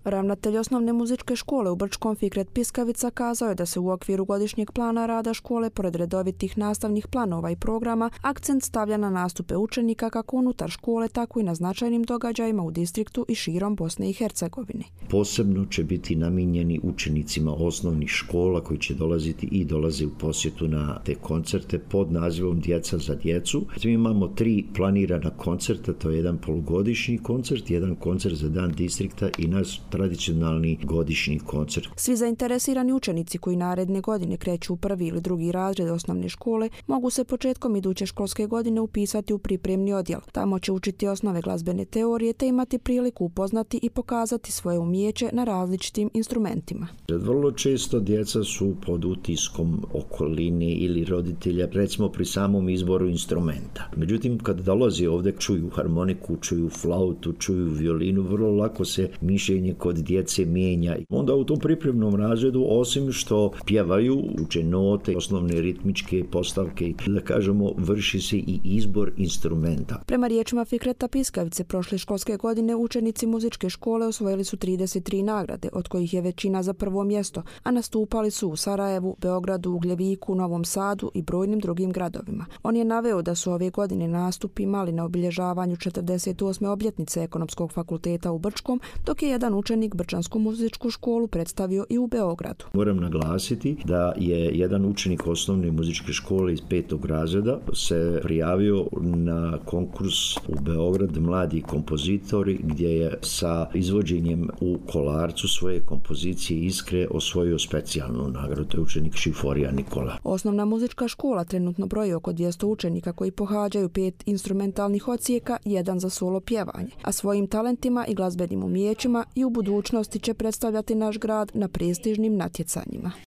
Ravnatelj osnovne muzičke škole u Brčkom Fikret Piskavica kazao je da se u okviru godišnjeg plana rada škole, pored redovitih nastavnih planova i programa, akcent stavlja na nastupe učenika kako unutar škole, tako i na značajnim događajima u distriktu i širom Bosne i Hercegovine. Posebno će biti namijenjeni učenicima osnovnih škola koji će dolaziti i dolaze u posjetu na te koncerte pod nazivom Djeca za djecu. Mi imamo 3 planirana koncerta, to je jedan polugodišnji koncert, jedan koncert za dan distrikta i naš tradicionalni godišnji koncert. Svi zainteresirani učenici koji naredne godine kreću u 1. ili 2. razred osnovne škole mogu se početkom iduće školske godine upisati u pripremni odjel. Tamo će učiti osnove glazbene teorije te imati priliku upoznati i pokazati svoje umijeće na različitim instrumentima. Vrlo često djeca su pod utiskom okoline ili roditelja, recimo pri samom izboru instrumenta. Međutim, kad dolazi ovdje, čuju harmoniku, čuju flautu, čuju violinu, vrlo lako se mišljenje kod djece mijenja. Onda u tom pripremnom razredu, osim što pjevaju, uče note, osnovne ritmičke postavke, da kažemo, vrši se i izbor instrumenta. Prema riječima Fikreta Piskavice, prošle školske godine učenici muzičke škole osvojili su 33 nagrade, od kojih je većina za prvo mjesto, a nastupali su u Sarajevu, Beogradu, Ugljeviku, Novom Sadu i brojnim drugim gradovima. On je naveo da su ove godine nastupi imali na obilježavanju 48. obljetnice Ekonomskog fakulteta u Brčkom, dok je jedan učenik Brčansku muzičku školu predstavio i u Beogradu. Moram naglasiti da je jedan učenik osnovne muzičke škole iz 5. razreda se prijavio na konkurs u Beograd Mladi kompozitori, gdje je sa izvođenjem u Kolarcu svoje kompozicije Iskre osvojio specijalnu nagradu. To je učenik Šiforija Nikola. Osnovna muzička škola trenutno broji oko 200 učenika koji pohađaju 5 instrumentalnih odsjeka, jedan za solo pjevanje, a svojim talentima i glazbenim umijećima i u budućnosti će predstavljati naš grad na prestižnim natjecanjima.